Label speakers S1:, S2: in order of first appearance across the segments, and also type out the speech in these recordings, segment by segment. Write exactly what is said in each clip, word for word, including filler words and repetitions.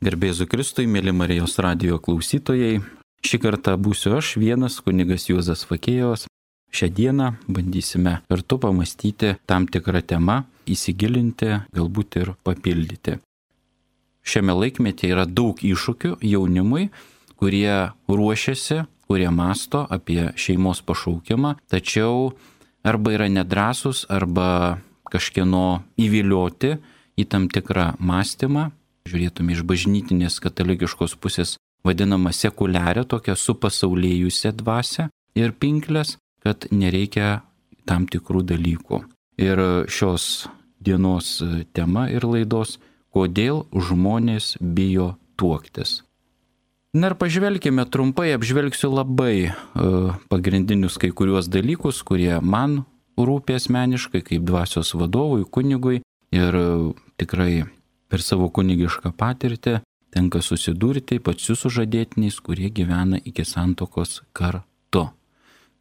S1: Garbėzu Kristui, mėly Marijos radijo klausytojai. Šį kartą būsiu aš vienas, kunigas Juozas Fakėjovas. Šią dieną bandysime kartu pamastyti tam tikrą temą, įsigilinti, galbūt ir papildyti. Šiame laikmetyje yra daug iššūkių jaunimui, kurie ruošiasi, kurie masto apie šeimos pašaukimą, tačiau arba yra nedrąsus, arba kažkieno įvilioti į tam tikrą mąstymą. Žiūrėtume iš bažnytinės katalikiškos pusės vadinamą sekuliarią, tokią supasaulėjusią dvasią ir pinklės, kad nereikia tam tikrų dalykų. Ir šios dienos tema ir laidos – kodėl žmonės bijo tuoktis. Na ir pažvelkime trumpai, apžvelgsiu labai uh, pagrindinius kai kuriuos dalykus, kurie man rūpi asmeniškai kaip dvasios vadovui, kunigui ir uh, tikrai per savo kunigišką patirtį tenka susidurti ypač su sužadėtiniais, kurie gyvena iki santuokos kartu.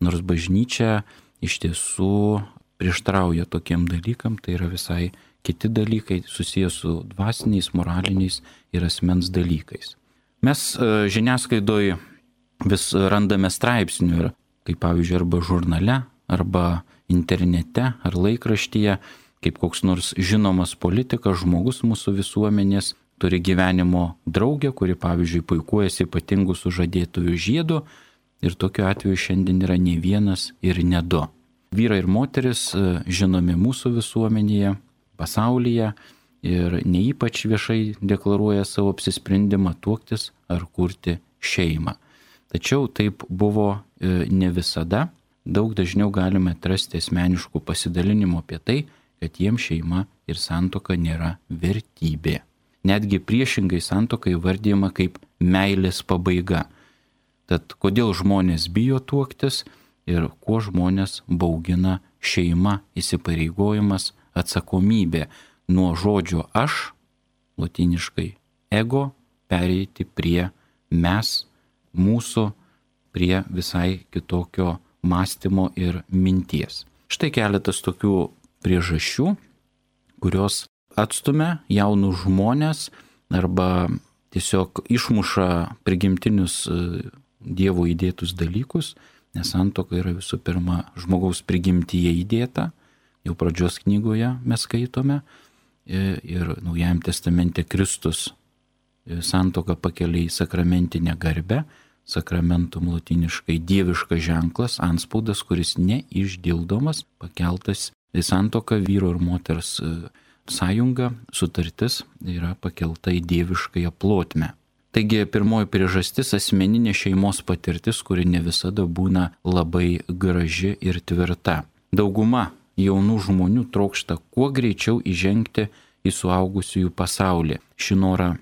S1: Nors bažnyčia iš tiesų prieštarauja tokiem dalykam, tai yra visai kiti dalykai susijęs su dvasiniais, moraliniais ir asmens dalykais. Mes žiniasklaidoje vis randame straipsnių, ir, kaip pavyzdžiui, arba žurnale, arba internete, ar laikraštyje, kaip koks nors žinomas politikas, žmogus mūsų visuomenės turi gyvenimo draugę, kuri, pavyzdžiui, puikuojasi ypatingų sužadėtųjų žiedu, ir tokiu atveju šiandien yra ne vienas ir ne du. Vyrai ir moteris žinomi mūsų visuomenėje, pasaulyje ir ne ypač viešai deklaruoja savo apsisprendimą tuoktis ar kurti šeimą. Tačiau taip buvo ne visada. Daug dažniau galime atrasti asmeniškų pasidalinimų apie tai, kad jiems šeima ir santuoka nėra vertybė. Netgi priešingai santuoka įvardyjama kaip meilės pabaiga. Tad kodėl žmonės bijo tuoktis ir kuo žmonės baugina šeima, įsipareigojimas, atsakomybė nuo žodžio aš, lotyniškai ego, pereiti prie mes, mūsų, prie visai kitokio mąstymo ir minties. Štai keletas tokių priežasčių, kurios atstumia jaunus žmonės arba tiesiog išmuša prigimtinius Dievo įdėtus dalykus, nes santuoka yra visų pirma žmogaus prigimtyje įdėta, jau pradžios knygoje mes skaitome, ir Naujajam testamente Kristus santuoką pakelia į sakramentinę garbę, sakramentum lotyniškai dieviškas ženklas, antspaudas, kuris neišdildomas, pakeltas į santuoką vyro ir moters sąjunga, sutartis yra pakelta į dieviškąją plotmę. Taigi pirmoji priežastis - asmeninė šeimos patirtis, kuri ne visada būna labai graži ir tvirta. Dauguma jaunų žmonių trokšta kuo greičiau įžengti į suaugusiųjų pasaulį. Šį norą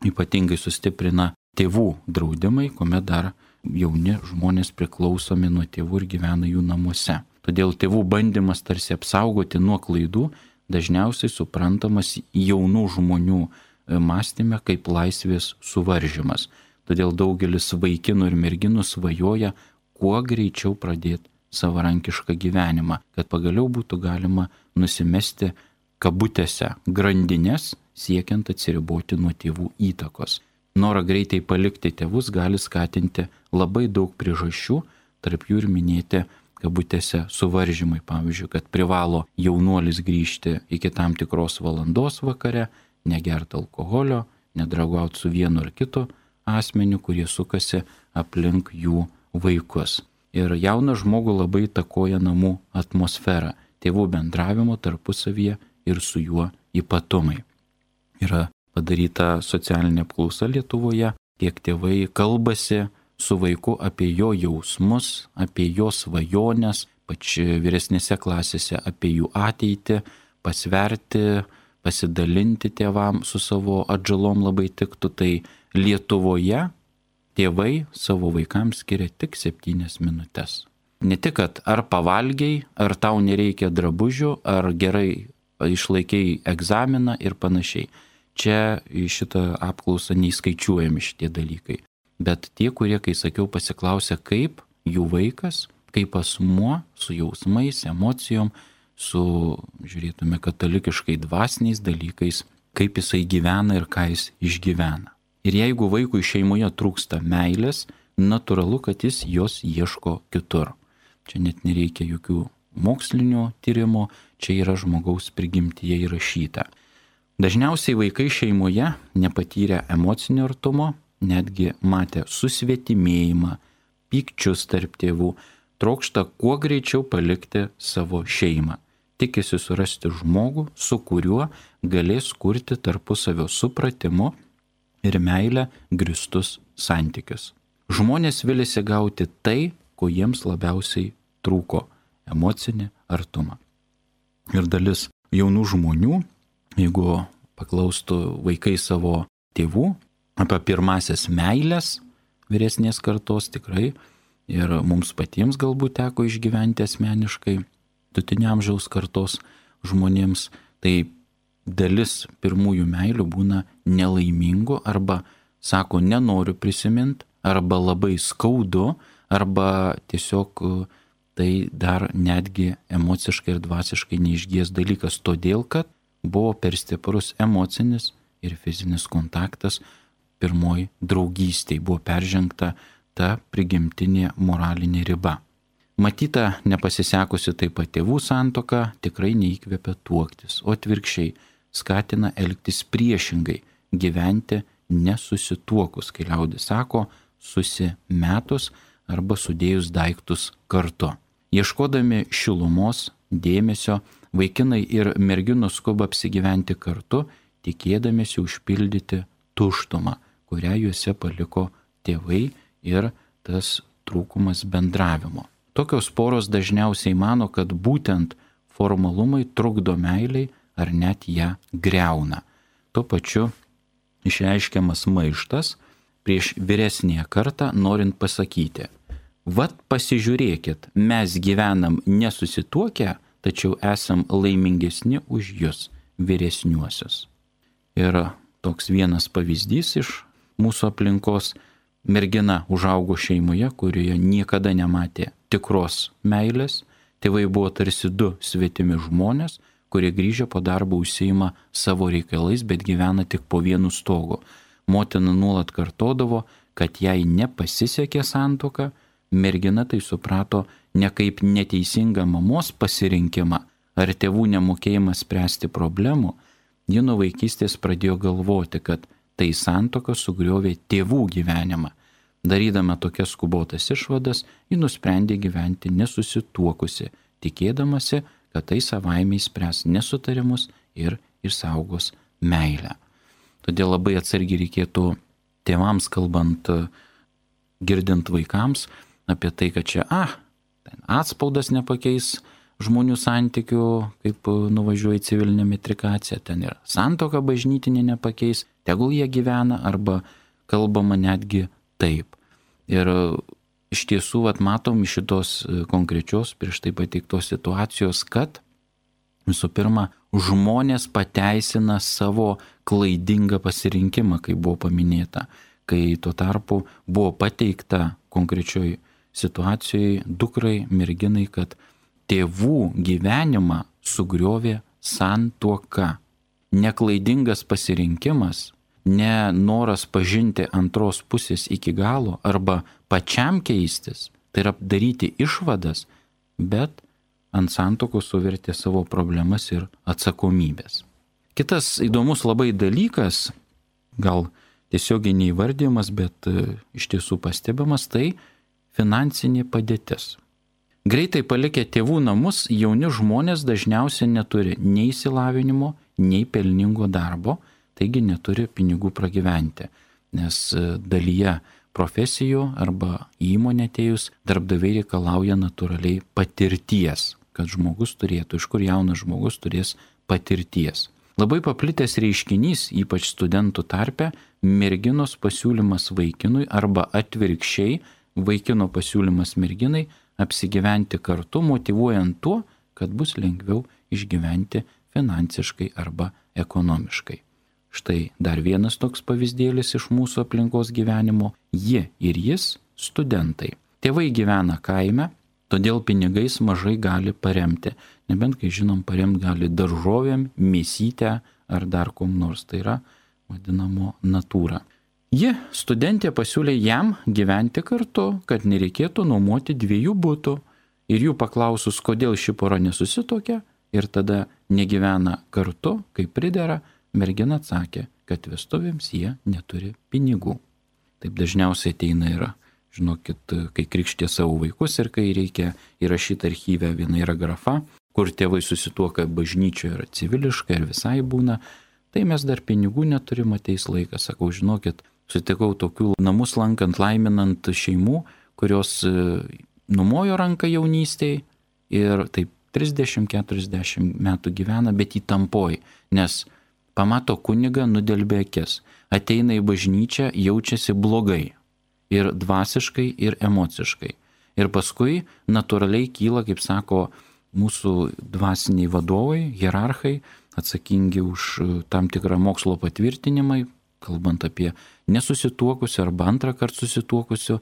S1: ypatingai sustiprina tėvų draudimai, kuomet dar jauni žmonės priklausomi nuo tėvų ir gyvena jų namuose. Todėl tėvų bandymas tarsi apsaugoti nuo klaidų dažniausiai suprantamas jaunų žmonių mąstyme kaip laisvės suvaržymas. Todėl daugelis vaikinų ir merginų svajoja kuo greičiau pradėti savarankišką gyvenimą, kad pagaliau būtų galima nusimesti kabutėse grandinės, siekiant atsiriboti nuo tėvų įtakos. Norą greitai palikti tėvus gali skatinti labai daug priežasčių, tarp jų ir minėti kabutėse suvaržymai, pavyzdžiui, kad privalo jaunuolis grįžti iki tam tikros valandos vakare, negerti alkoholio, nedraugauti su vienu ar kitu asmeniu, kurie sukasi aplink jų vaikus. Ir jauną žmogų labai įtakoja namų atmosfera, tėvų bendravimo tarpusavyje ir su juo ypatumai. Yra padaryta socialinė apklausa Lietuvoje, kiek tėvai kalbasi su vaiku apie jo jausmus, apie jo svajones, pač vyresnėse klasėse apie jų ateitį, pasverti, pasidalinti tėvam su savo atžalom labai tiktų. Tai Lietuvoje tėvai savo vaikams skiria tik septynias minutės. Ne tik, kad ar pavalgiai, ar tau nereikia drabužių, ar gerai išlaikiai egzaminą ir panašiai. Čia į šitą apklausą neįskaičiuojami šitie dalykai. Bet tie, kurie, kai sakiau, pasiklausė, kaip jų vaikas, kaip asmuo su jausmais, emocijom, su, žiūrėtume, katalikiškai dvasiniais dalykais kaip jisai gyvena ir ką jis išgyvena. Ir jeigu vaikui šeimoje trūksta meilės, natūralu, kad jis jos ieško kitur. Čia net nereikia jokių mokslinio tyrimo, čia yra žmogaus prigimtyje įrašyta. Dažniausiai vaikai šeimoje nepatyrę emocinio artumo, netgi matę susvetimėjimą, pykčius tarp tėvų, trokšta kuo greičiau palikti savo šeimą. Tikisi surasti žmogų, su kuriuo galės kurti tarpusavio supratimu ir meilę grįstus santykius. Žmonės viliasi gauti tai, ko jiems labiausiai trūko - emocinį artumą. Ir dalis jaunų žmonių, jeigu paklaustų vaikai savo tėvų apie pirmasias meilės vyresnės kartos, tikrai ir mums patiems galbūt teko išgyventi asmeniškai vidutinio amžiaus kartos žmonėms, tai dalis pirmųjų meilių būna nelaimingų arba sako nenoriu prisiminti, arba labai skaudu, arba tiesiog tai dar netgi emociškai ir dvasiškai neišgies dalykas, todėl kad buvo per stiprus emocinis ir fizinis kontaktas pirmoji draugystėje, buvo peržengta ta prigimtinė moralinė riba. Matyta nepasisekusi taip pat tėvų santuoka tikrai neįkvepia tuoktis, o atvirkščiai skatina elgtis priešingai, gyventi nesusituokus, kai liaudis sako, susimetus arba sudėjus daiktus kartu. Ieškodami šilumos, dėmesio, vaikinai ir merginos skuba apsigyventi kartu, tikėdamiesi užpildyti tuštumą, kurią juose paliko tėvai ir tas trūkumas bendravimo. Tokios poros dažniausiai mano, kad būtent formalumai trukdo meiliai ar net ją greuna. Tuo pačiu išreiškiamas maištas prieš vyresnėje kartą, norint pasakyti, vat pasižiūrėkit, mes gyvenam nesusituokę, tačiau esam laimingesni už jūs, vyresniuosius. Ir toks vienas pavyzdys iš mūsų aplinkos, mergina užaugo šeimoje, kurioje niekada nematė tikros meilės, tėvai buvo tarsi du svetimi žmonės, kurie grįžę po darbo užsiima savo reikalais, bet gyvena tik po vienu stogu. Motina nuolat kartodavo, kad jai nepasisekė santuoka, mergina tai suprato ne kaip neteisingą mamos pasirinkimą ar tėvų nemokėjimą spręsti problemų, ji nuo vaikystės pradėjo galvoti, kad tai santuoka sugriovė tėvų gyvenimą. Darydama tokias skubotas išvadas, ji nusprendė gyventi nesusituokusi, tikėdamasi, kad tai savaime išspręs nesutarimus ir išsaugos meilę. Todėl labai atsargiai reikėtų tėvams kalbant, girdint vaikams apie tai, kad čia, ah, ten atspaudas nepakeis žmonių santykių, kaip nuvažiuoja į civilinę metrikaciją, ten ir santuoka bažnytinė nepakeis, tegul jie gyvena, arba kalbama netgi taip. Ir iš tiesų, vat, matom iš šitos konkrečios prieš tai pateiktos situacijos, kad visų pirma, žmonės pateisina savo klaidingą pasirinkimą, kaip buvo paminėta, kai tuo tarpu buvo pateikta konkrečioj situacijoje dukrai, merginai, kad tėvų gyvenimą sugriovė santuoka. Neklaidingas pasirinkimas, ne noras pažinti antros pusės iki galo arba pačiam keistis, tai yra daryti išvadas, bet ant santuokos suvertė savo problemas ir atsakomybės. Kitas įdomus labai dalykas, gal tiesiogiai neįvardymas, bet iš tiesų pastebimas, tai finansinė padėtis. Greitai palikę tėvų namus, jauni žmonės dažniausiai neturi nei išsilavinimo, nei pelningo darbo, taigi neturi pinigų pragyventi, nes dalyje profesijų arba įmonė atėjus darbdaviai reikalauja natūraliai patirties, kad žmogus turėtų, iš kur jaunas žmogus turės patirties. Labai paplitęs reiškinys, ypač studentų tarpe, merginos pasiūlymas vaikinui arba atvirkščiai vaikino pasiūlymas merginai apsigyventi kartu, motyvuojant tuo, kad bus lengviau išgyventi finansiškai arba ekonomiškai. Štai dar vienas toks pavyzdėlis iš mūsų aplinkos gyvenimo. Ji ir jis studentai. Tėvai gyvena kaime, todėl pinigais mažai gali paremti. Nebent, kai žinom, paremti gali daržovėm, mėsytę ar dar kom nors. Tai yra vadinamo natūra. Ji, studentė, pasiūlė jam gyventi kartu, kad nereikėtų nuomoti dviejų butų. Ir jų paklausus, kodėl ši pora nesusitokia ir tada negyvena kartu, kaip pridera, mergina atsakė, kad vestuvėms jie neturi pinigų. Taip dažniausiai ateina yra, žinokit, kai krikštė savo vaikus ir kai reikia įrašyti archyvę, viena yra grafa, kur tėvai susituoka bažnyčioje yra civiliškai ir visai būna, tai mes dar pinigų neturim, ateis laikas. Sakau, žinokit, sutikau tokių namus lankant, laiminant šeimų, kurios numojo ranką jaunystėje ir taip trisdešimt keturiasdešimt metų gyvena, bet įtampoj, nes pamato kunigą, nudelbė akis, ateina į bažnyčią, jaučiasi blogai ir dvasiškai, ir emociškai. Ir paskui natūraliai kyla, kaip sako mūsų dvasiniai vadovai, hierarchai, atsakingi už tam tikrą mokslo patvirtinimą, kalbant apie nesusituokusių arba antrą kartą susituokusių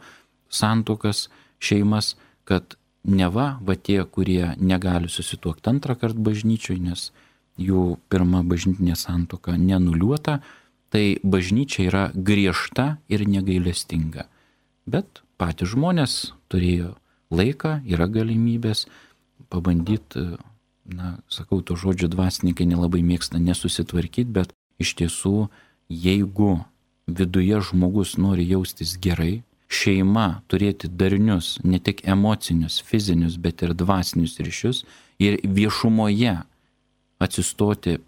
S1: santuokas, šeimas, kad neva va tie, kurie negali susituokti antrą kartą bažnyčioj, nes jų pirma bažnytinė santuoka nenuliuota, tai bažnyčia yra griežta ir negailestinga. Bet patys žmonės turėjo laiką, yra galimybės pabandyti, na, sakau, to žodžio dvasininkai nelabai mėgsta nesusitvarkyti, bet iš tiesų, jeigu viduje žmogus nori jaustis gerai, šeima turėti darnius, ne tik emocinius, fizinius, bet ir dvasinius ryšius ir viešumoje atsistoti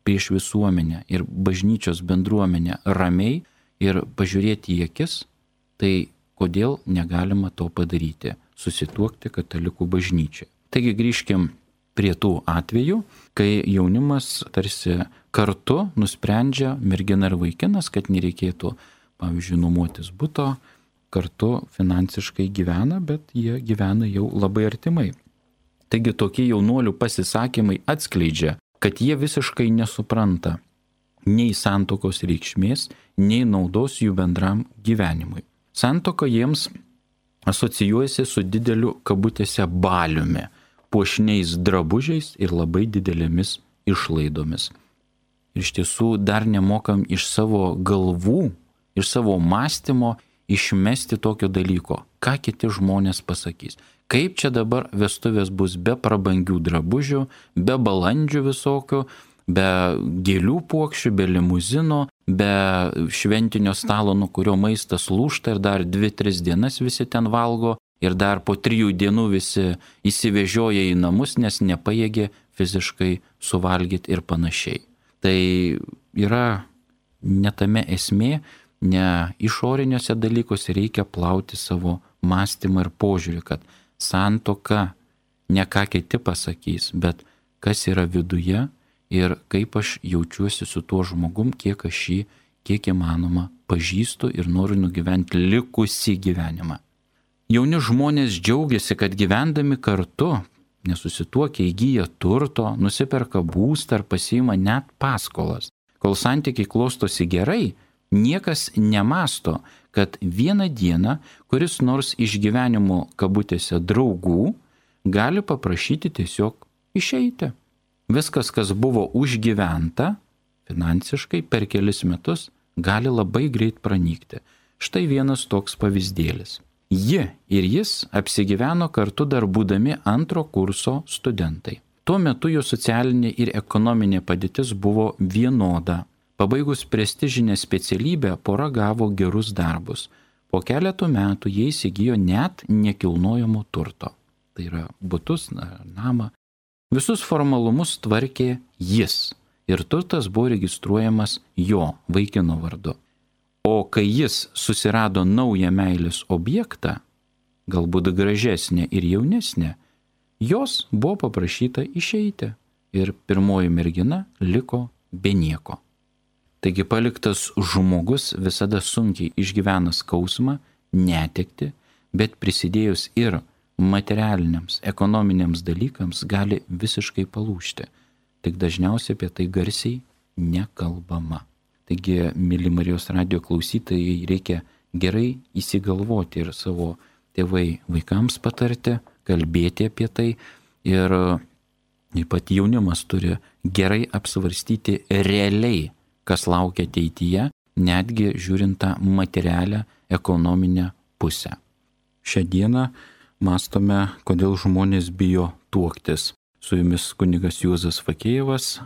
S1: prieš visuomenę ir bažnyčios bendruomenę ramiai ir pažiūrėti į akis, tai kodėl negalima to padaryti, susituokti katalikų bažnyčiai. Taigi grįžkim prie tų atvejų, kai jaunimas tarsi kartu nusprendžia, mergina ir vaikinas, kad nereikėtų, pavyzdžiui, nuomotis buto, kartu finansiškai gyvena, bet jie gyvena jau labai artimai. Taigi tokie jaunuolių pasisakymai atskleidžia, kad jie visiškai nesupranta nei santuokos reikšmės, nei naudos jų bendram gyvenimui. Santuoka jiems asocijuojasi su dideliu kabutėse baliumi, puošniais drabužiais ir labai didelėmis išlaidomis. Ir iš tiesų dar nemokam iš savo galvų, iš savo mąstymo išmesti tokio dalyko, ką kiti žmonės pasakys. Kaip čia dabar vestuvės bus be prabangių drabužių, be balandžių visokių, be gėlių puokščių, be limuzino, be šventinio stalo, nuo kurio maistas lūžta ir dar dvi, tris dienas visi ten valgo ir dar po trijų dienų visi įsivežioja į namus, nes nepajėgė fiziškai suvalgyti ir panašiai. Tai yra ne tame esmė, ne išoriniuose dalykuose reikia plauti savo mąstymą ir požiūrį, kad santuoka ne ką kiti pasakys, bet kas yra viduje ir kaip aš jaučiuosi su tuo žmogum, kiek aš jį, kiek įmanoma, pažįstu ir noriu nugyventi likusį gyvenimą. Jauni žmonės džiaugiasi, kad gyvendami kartu, nesusituokia, įgyja turto, nusiperka būstą ar pasiima net paskolas. Kol santykiai klostosi gerai, niekas nemasto, kad vieną dieną kuris nors iš gyvenimo kabutėse draugų gali paprašyti tiesiog išeiti. Viskas, kas buvo užgyventa finansiškai per kelis metus, gali labai greit pranykti. Štai vienas toks pavyzdėlis. Ji ir jis apsigyveno kartu dar būdami antro kurso studentai. Tuo metu jų socialinė ir ekonominė padėtis buvo vienoda. Pabaigus prestižinę specialybę, pora gavo gerus darbus. Po keletų metų jie įsigijo net nekilnojamo turto. Tai yra butus, namą. Visus formalumus tvarkė jis ir turtas buvo registruojamas jo vaikino vardu. O kai jis susirado naują meilės objektą, galbūt gražesnę ir jaunesnę, jos buvo paprašyta išeiti ir pirmoji mergina liko be nieko. Taigi paliktas žmogus visada sunkiai išgyvena skausmą, netekti, bet prisidėjus ir materialiniams, ekonominiams dalykams gali visiškai palūžti. Tik dažniausiai apie tai garsiai nekalbama. Taigi, mėly Marijos radijo klausytojai, reikia gerai įsigalvoti ir savo tėvai vaikams patarti, kalbėti apie tai ir Ypat jaunimas turi gerai apsvarstyti realiai, kas laukia ateityje, netgi žiūrint tą materialią ekonominę pusę. Šią dieną mąstome, kodėl žmonės bijo tuoktis. Su jumis kunigas Juozas Fakėjevas.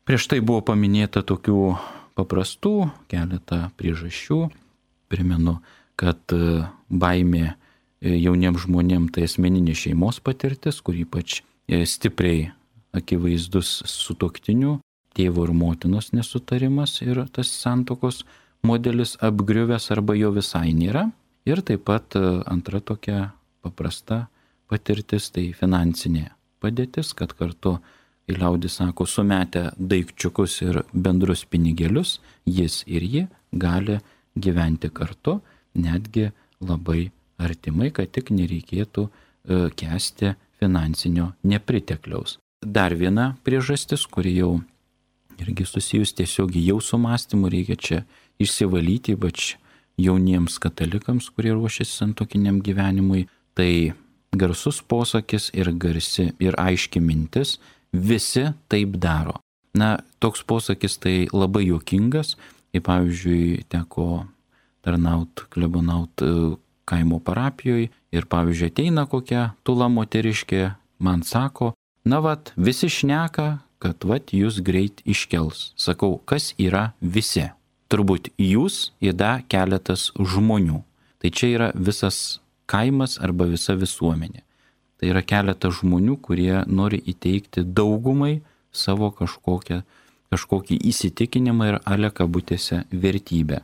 S1: Prieš tai buvo paminėta tokių paprastų keletą priežasčių. Primenu, kad baimė jauniems žmonėms tai asmeninė šeimos patirtis, kur ypač stipriai akivaizdus sutuoktinių, tėvo ir motinos nesutarimas ir tas santuokos modelis apgriuvęs arba jo visai nėra. Ir taip pat antra tokia paprasta patirtis tai finansinė padėtis, kad kartu, kai liaudis sako, sumetę daikčiukus ir bendrus pinigėlius, jis ir ji gali gyventi kartu, netgi labai artimai, kad tik nereikėtų kęsti finansinio nepritekliaus. Dar viena priežastis, kuri jau irgi susijus tiesiog jau su mąstymu, reikia čia išsivalyti, ypač jauniems katalikams, kurie ruošiasi santuokiniam gyvenimui, tai garsus posakis ir garsi ir aiški mintis, visi taip daro. Na, toks posakis tai labai juokingas, kaip pavyzdžiui teko tarnaut, klebonaut kaimo parapijoje ir pavyzdžiui ateina kokia tula moteriškė, man sako, na vat, visi šneka, kad vat jūs greit iškels. Sakau, kas yra visi? Turbūt jūs ir da keletas žmonių. Tai čia yra visas kaimas arba visa visuomenė. Tai yra keletas žmonių, kurie nori įteikti daugumai savo kažkokią, kažkokį įsitikinimą ir ale kabutėse vertybę.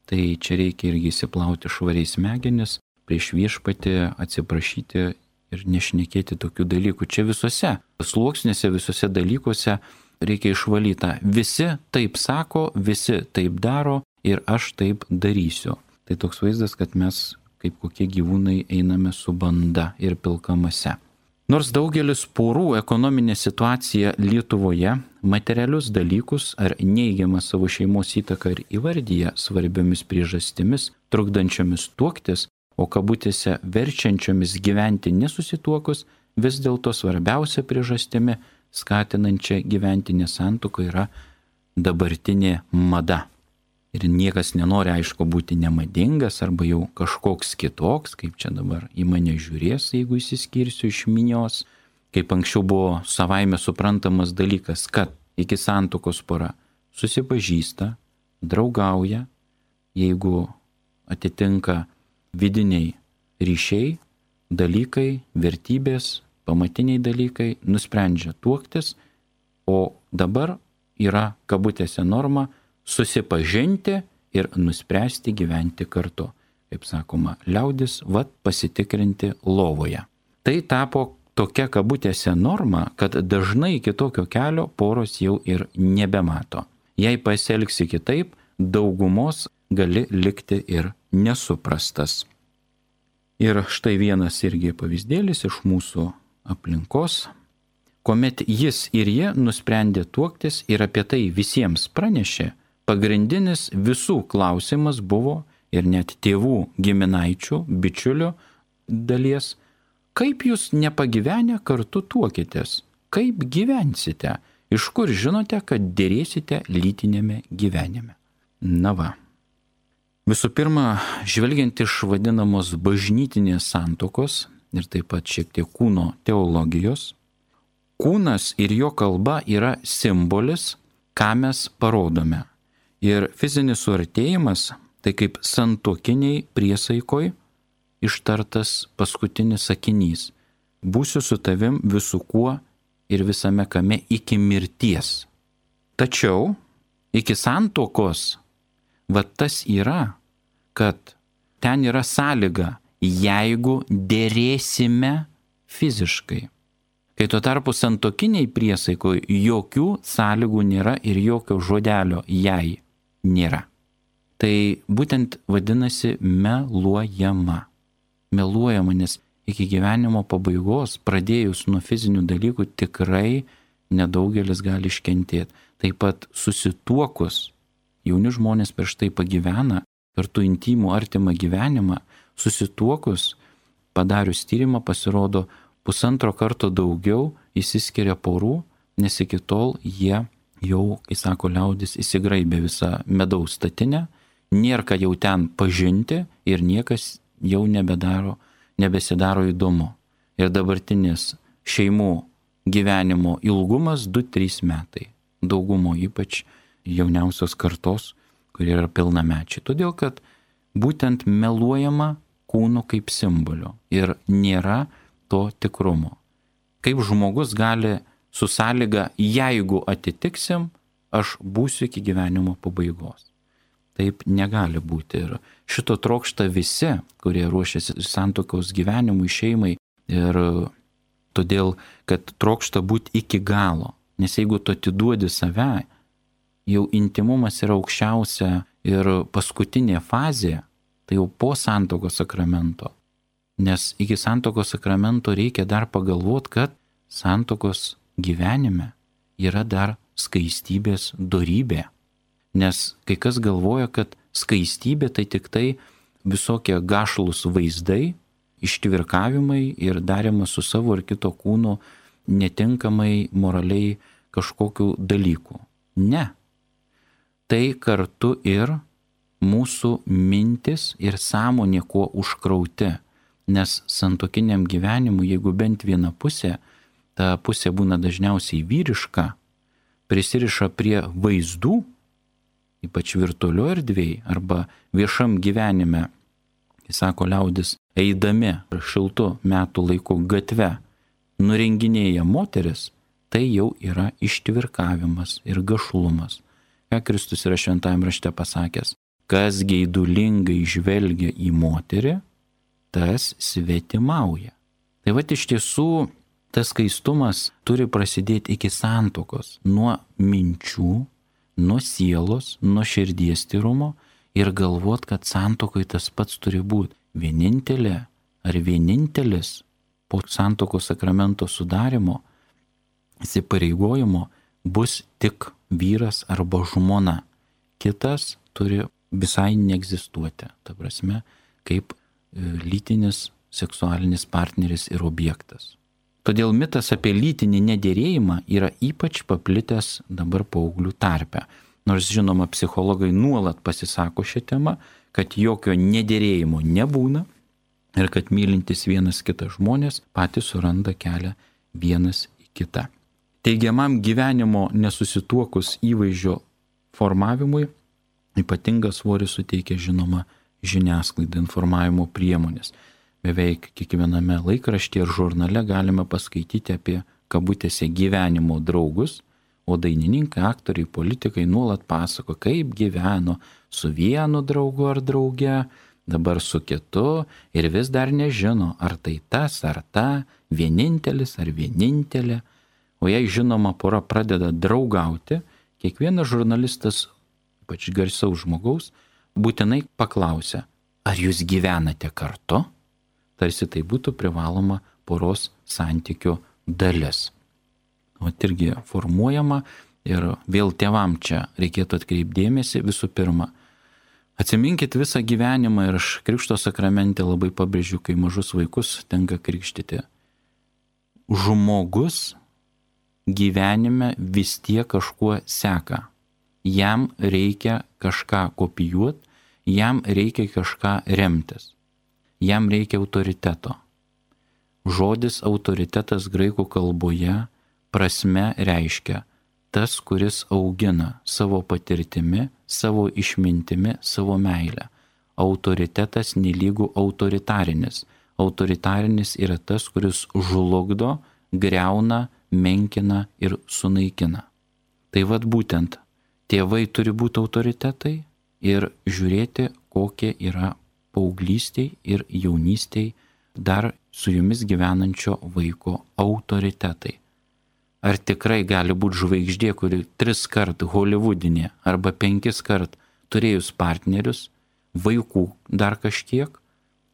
S1: Tai čia reikia irgi įsiplauti švariai smegenis, prieš viešpatį atsiprašyti ir nešnekėti tokių dalykų. Čia visose sluoksniuose, visose dalykuose reikia išvalytą. Visi taip sako, visi taip daro ir aš taip darysiu. Tai toks vaizdas, kad mes kaip kokie gyvūnai einame su banda ir pilkamase. Nors daugelis porų ekonominė situacija Lietuvoje materialius dalykus ar neigiamą savo šeimos įtaką ir įvardyja svarbiomis priežastimis, trukdančiomis tuoktis, o kabutėse verčiančiomis gyventi nesusituokus, vis dėlto svarbiausia priežastimi skatinančia gyventi nesantuoką yra dabartinė mada. Ir niekas nenori, aišku, būti nemadingas arba jau kažkoks kitoks, kaip čia dabar į mane žiūrės, jeigu įsiskirsiu iš minios, kaip anksčiau buvo savaime suprantamas dalykas, kad iki santuokos pora susipažįsta, draugauja, jeigu atitinka vidiniai ryšiai, dalykai, vertybės, pamatiniai dalykai, nusprendžia tuoktis, o dabar yra kabutėse norma susipažinti ir nuspręsti gyventi kartu. Kaip sakoma, liaudis, vat pasitikrinti lovoje. Tai tapo tokia kabutėse norma, kad dažnai kitokio kelio poros jau ir nebemato. Jei pasielgsi kitaip, daugumos gali likti ir nesuprastas. Ir štai vienas irgi pavyzdėlis iš mūsų aplinkos, kuomet jis ir jie nusprendė tuoktis ir apie tai visiems pranešė, pagrindinis visų klausimas buvo ir net tėvų, giminaičių, bičiulių dalies, kaip jūs nepagyvenę kartu tuokitės, kaip gyvensite, iš kur žinote, kad dėrėsite lytinėme gyvenime. Na va. Visų pirma, žvelgiant iš vadinamos bažnytinės santuokos ir taip pat šiek tiek kūno teologijos, kūnas ir jo kalba yra simbolis, ką mes parodome. Ir fizinis suartėjimas, tai kaip santuokiniai priesaikoj ištartas paskutinis sakinys. Būsiu su tavim visu kuo ir visame kame iki mirties. Tačiau iki santuokos, va tas yra, kad ten yra sąlyga, jeigu dėrėsime fiziškai. Kai tuo tarpu santuokiniai priesaikoj jokių sąlygų nėra ir jokio žodelio jei nėra. Tai būtent vadinasi meluojama. Meluojama, nes iki gyvenimo pabaigos, pradėjus nuo fizinių dalykų, tikrai nedaugelis gali iškentėti. Taip pat susituokus, jauni žmonės prieš tai pagyvena kartu intimų artimą gyvenimą, susituokus, padarius tyrimą, pasirodo, pusantro karto daugiau išsiskiria porų, nes iki tol jie jau, kai sako liaudis, įsigraibė visą medaus statinę, nėra ką jau ten pažinti ir niekas jau nebedaro, nebesidaro įdomu. Ir dabartinis šeimų gyvenimo ilgumas du trys metai. Daugumo ypač jauniausios kartos, kurie yra pilnamečiai. Todėl, kad būtent meluojama kūnu kaip simboliu ir nėra to tikrumo. Kaip žmogus gali su sąlyga, jeigu atitiksim, aš būsiu iki gyvenimo pabaigos. Taip negali būti. Ir šito trokšta visi, kurie ruošiasi santuokos gyvenimui, šeimai. Ir todėl, kad trokšta būti iki galo. Nes jeigu tu atiduodi save, jau intimumas yra aukščiausia ir paskutinė fazė, tai jau po santuokos sakramento. Nes iki santuokos sakramento reikia dar pagalvoti, kad santuokos gyvenime yra dar skaistybės dorybė. Nes kai kas galvoja, kad skaistybė tai tik tai visokie gašlus vaizdai, ištvirkavimai ir darimas su savo ar kito kūnu netinkamai moraliai kažkokių dalykų. Ne. Tai kartu ir mūsų mintis ir sąmonė kuo užkrauti. Nes santuokiniam gyvenimui, jeigu bent viena pusė, ta pusė būna dažniausiai vyriška, prisiriša prie vaizdų, ypač virtualioje erdvėje arba viešam gyvenime, jis sako liaudis, eidami šiltų metų laikų gatve, nurenginėja moteris, tai jau yra ištvirkavimas ir gašlumas. Ką Kristus yra šventajame rašte pasakęs, kas geidulingai žvelgia į moterį, tas svetimauja. Tai vat iš tiesų tas skaistumas turi prasidėti iki santuokos, nuo minčių, nuo sielos, nuo širdies tyrumo ir galvot, kad santuokoj tas pats turi būti. Vienintelė ar vienintelis po santuokos sakramento sudarimo, įsipareigojimo bus tik vyras arba žmona. Kitas turi visai neegzistuoti. Ta prasme, kaip lytinis seksualinis partneris ir objektas. Todėl mitas apie lytinį nederėjimą yra ypač paplitęs dabar paauglių tarpe. Nors žinoma, psichologai nuolat pasisako šią temą, kad jokio nederėjimo nebūna ir kad mylintis vienas kitą žmonės patys suranda kelią vienas į kitą. Teigiamam gyvenimo nesusituokus įvaizdžio formavimui ypatingą svorį suteikia žinoma žiniasklaida, informavimo priemonės. Beveik kiekviename laikraštyje ir žurnale galime paskaityti apie kabutėse gyvenimo draugus, o dainininkai, aktoriai, politikai nuolat pasako, kaip gyveno su vienu draugu ar drauge, dabar su kitu ir vis dar nežino, ar tai tas ar ta, vienintelis ar vienintelė. O jei žinoma pora pradeda draugauti, kiekvienas žurnalistas, ypač garsaus žmogaus, būtinai paklausia, ar jūs gyvenate kartu? Tarsi tai būtų privaloma poros santykių dalis. O irgi formuojama ir vėl tėvam čia reikėtų atkreipdėmėsi visų pirma. Atsiminkit visą gyvenimą ir aš krikšto sakramente labai pabrėžiu, kai mažus vaikus tenka krikštyti. Žmogus gyvenime vis tiek kažkuo seka. Jam reikia kažką kopijuoti, jam reikia kažką remtis. Jam reikia autoriteto. Žodis autoritetas graikų kalboje prasme reiškia tas, kuris augina savo patirtimi, savo išmintimi, savo meilę. Autoritetas nelygu autoritarinis. Autoritarinis yra tas, kuris žlugdo, greuna, menkina ir sunaikina. Tai vad būtent tėvai turi būti autoritetai ir žiūrėti, kokie yra paauglystėj ir jaunystėj dar su jumis gyvenančio vaiko autoritetai. Ar tikrai gali būti žvaigždė, kuri tris kart holivudinė arba penkis kart turėjus partnerius, vaikų dar kažkiek,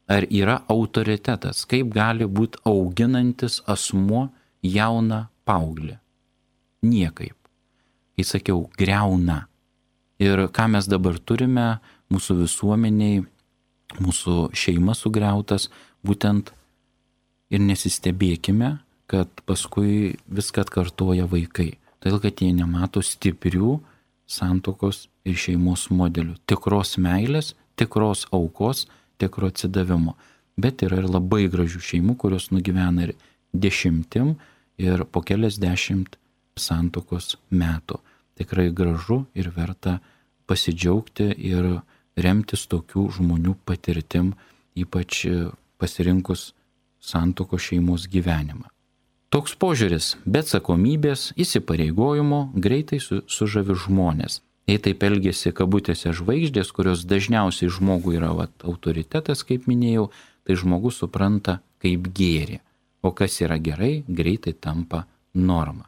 S1: ar yra autoritetas, kaip gali būti auginantis asmuo jauną paauglį? Niekaip. Kai sakiau, greuna. Ir ką mes dabar turime mūsų visuomeniai, mūsų šeima sugriautas, būtent ir nesistebėkime, kad paskui viską atkartoja vaikai. Todėl, kad jie nemato stiprių santuokos ir šeimos modelių. Tikros meilės, tikros aukos, tikro atsidavimo. Bet yra ir labai gražių šeimų, kurios nugyvena ir dešimtim ir po keliasdešimt santuokos metų. Tikrai gražu ir verta pasidžiaugti ir remtis tokių žmonių patirtim, ypač pasirinkus santuokos šeimos gyvenimą. Toks požiūris be atsakomybės, įsipareigojimo greitai su, sužavi žmonės. Jei taip elgesi kabutėse žvaigždės, kurios dažniausiai žmogui yra vat, autoritetas, kaip minėjau, tai žmogus supranta kaip gėrį. O kas yra gerai, greitai tampa norma.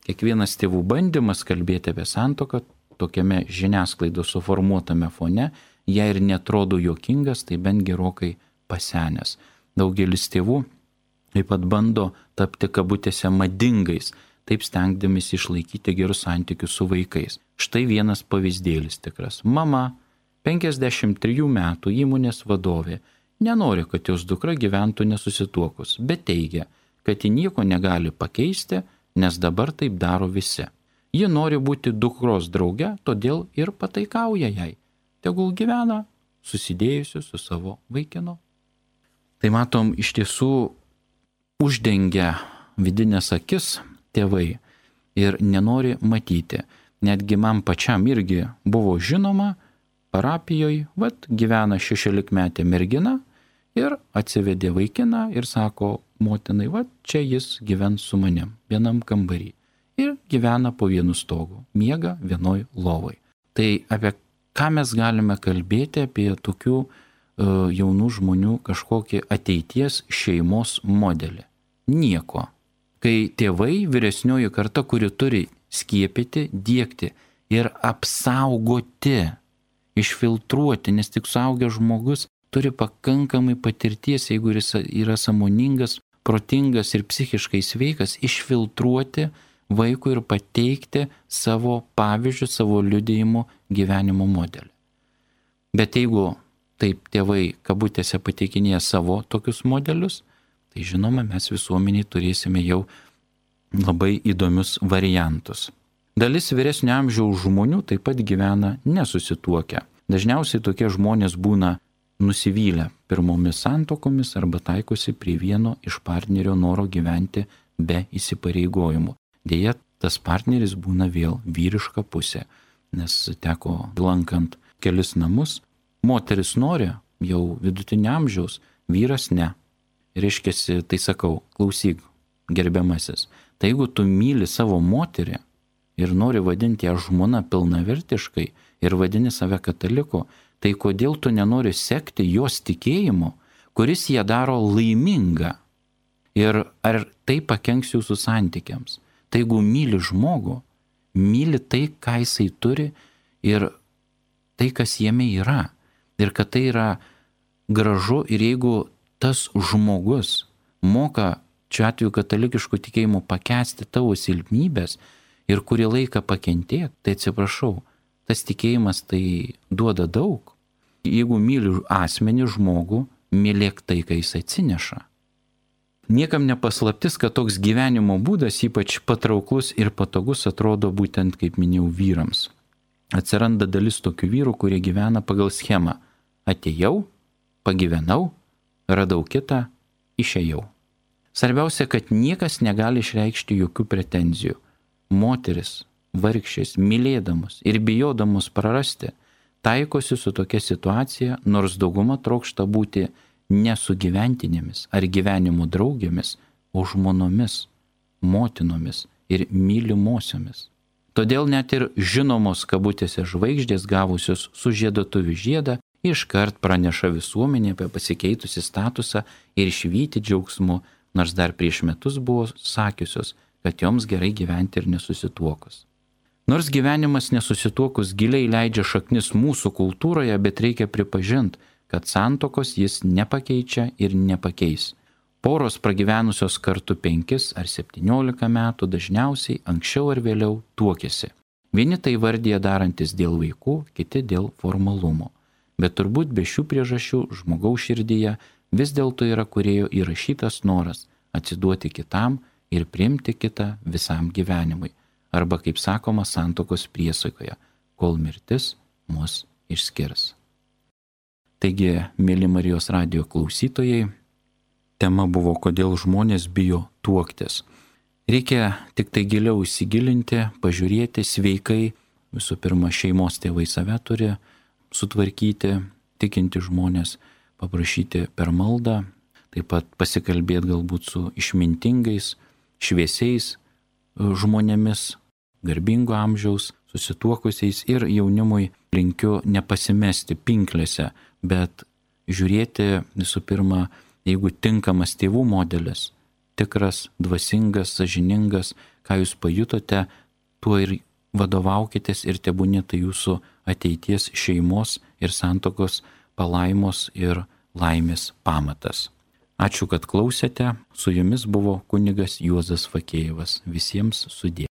S1: Kiekvienas tėvų bandymas kalbėti apie santuoką tokiame žiniasklaidos suformuotame fone, jei ir netrodo juokingas, tai bent gerokai pasenęs. Daugelis tėvų taip pat bando tapti kabutėse madingais, taip stengdamis išlaikyti gerus santykius su vaikais. Štai vienas pavyzdėlis tikras. Mama, penkiasdešimt trijų metų įmonės vadovė, nenori, kad jos dukra gyventų nesusituokus, bet teigia, kad ji nieko negali pakeisti, nes dabar taip daro visi. Ji nori būti dukros drauge, todėl ir pataikauja jai. Tegul gyvena susidėjusi su savo vaikinu. Tai matom, iš tiesų uždengia vidinės akis tėvai ir nenori matyti. Netgi man pačiam irgi buvo žinoma, parapijoje, vat, gyvena šešiolikmetė mergina ir atsivedė vaikiną ir sako motinai, vat, čia jis gyvens su manim, vienam kambarį. Ir gyvena po vienu stogu, miega vienoj lovoj. Tai apie ką mes galime kalbėti apie tokių uh, jaunų žmonių kažkokį ateities šeimos modelį? Nieko. Kai tėvai, vyresnioji karta, kuri turi skiepyti, diegti ir apsaugoti, išfiltruoti, nes tik suaugęs žmogus turi pakankamai patirties, jeigu jis yra sąmoningas, protingas ir psichiškai sveikas, išfiltruoti vaikui ir pateikti savo pavyzdžių, savo liudijimų gyvenimo modelį. Bet jeigu taip tėvai kabutėse pateikinėja savo tokius modelius, tai žinoma, mes visuomeniai turėsime jau labai įdomius variantus. Dalis vyresnio amžiaus žmonių taip pat gyvena nesusituokę. Dažniausiai tokie žmonės būna nusivylę pirmomis santuokomis arba taikosi prie vieno iš partnerio noro gyventi be įsipareigojimų. Deja, tas partneris būna vėl vyriška pusė, nes teko lankant kelis namus, moteris nori jau vidutinio amžiaus, vyras ne. Reiškiasi, tai sakau, klausyk, gerbiamasis, tai jeigu tu myli savo moterį ir nori vadinti ją žmona pilnavertiškai ir vadini save kataliku, tai kodėl tu nenori sekti jos tikėjimu, kuris ją daro laimingą? Ir ar tai pakenks jūsų santykiams? Tai jeigu myli žmogų, myli tai, ką jisai turi ir tai, kas jame yra. Ir kad tai yra gražu ir jeigu tas žmogus moka, čia atveju katalikiškų tikėjimų, pakęsti tavo silpnybės ir kurį laiką pakentėti, tai atsiprašau, tas tikėjimas tai duoda daug. Jeigu myli asmenį žmogų, mylėk tai, ką jis atsineša. Niekam nepaslaptis, kad toks gyvenimo būdas ypač patrauklus ir patogus atrodo būtent, kaip minėjau, vyrams. Atsiranda dalis tokių vyrų, kurie gyvena pagal schemą. Atėjau, pagyvenau, radau kitą, išėjau. Svarbiausia, kad niekas negali išreikšti jokių pretenzijų. Moteris, vargšės, mylėdamos ir bijodamos prarasti, taikosi su tokia situacija, nors dauguma trokšta būti ne su gyventinėmis ar gyvenimo draugėmis, o žmonomis, motinomis ir mylimosiomis. Todėl net ir žinomos kabutėse žvaigždės gavusios sužiedotuvių žiedą iškart praneša visuomenė apie pasikeitusi statusą ir švyti džiaugsmu, nors dar prieš metus buvo sakiusios, kad joms gerai gyventi ir nesusituokus. Nors gyvenimas nesusituokus giliai leidžia šaknis mūsų kultūroje, bet reikia pripažinti, kad santuokos jis nepakeičia ir nepakeis. Poros pragyvenusios kartu penkis ar septyniolika metų dažniausiai anksčiau ar vėliau tuokiasi. Vieni tai vardija darantis dėl vaikų, kiti dėl formalumo. Bet turbūt be šių priežasčių žmogaus širdyje vis dėlto yra kūrėjo įrašytas noras atsiduoti kitam ir priimti kitą visam gyvenimui. Arba, kaip sakoma, santuokos priesaikoje, kol mirtis mus išskirs. Taigi, mėly Marijos radijo klausytojai, tema buvo, kodėl žmonės bijo tuoktis. Reikia tik tai giliau įsigilinti, pažiūrėti sveikai. Visų pirma, šeimos tėvai save turi sutvarkyti, tikinti žmonės, paprašyti per maldą, taip pat pasikalbėti galbūt su išmintingais, šviesiais žmonėmis, garbingo amžiaus, susituokusiais, ir jaunimui linkiu nepasimesti pinklėse, bet žiūrėti visų pirma, jeigu tinkamas tėvų modelis, tikras, dvasingas, sąžiningas, ką jūs pajutote, tuo ir vadovaukitės ir tebūnie tai jūsų ateities šeimos ir santuokos palaimos ir laimės pamatas. Ačiū, kad klausėte. Su jumis buvo kunigas Juozas Fakėjevas. Visiems sudie.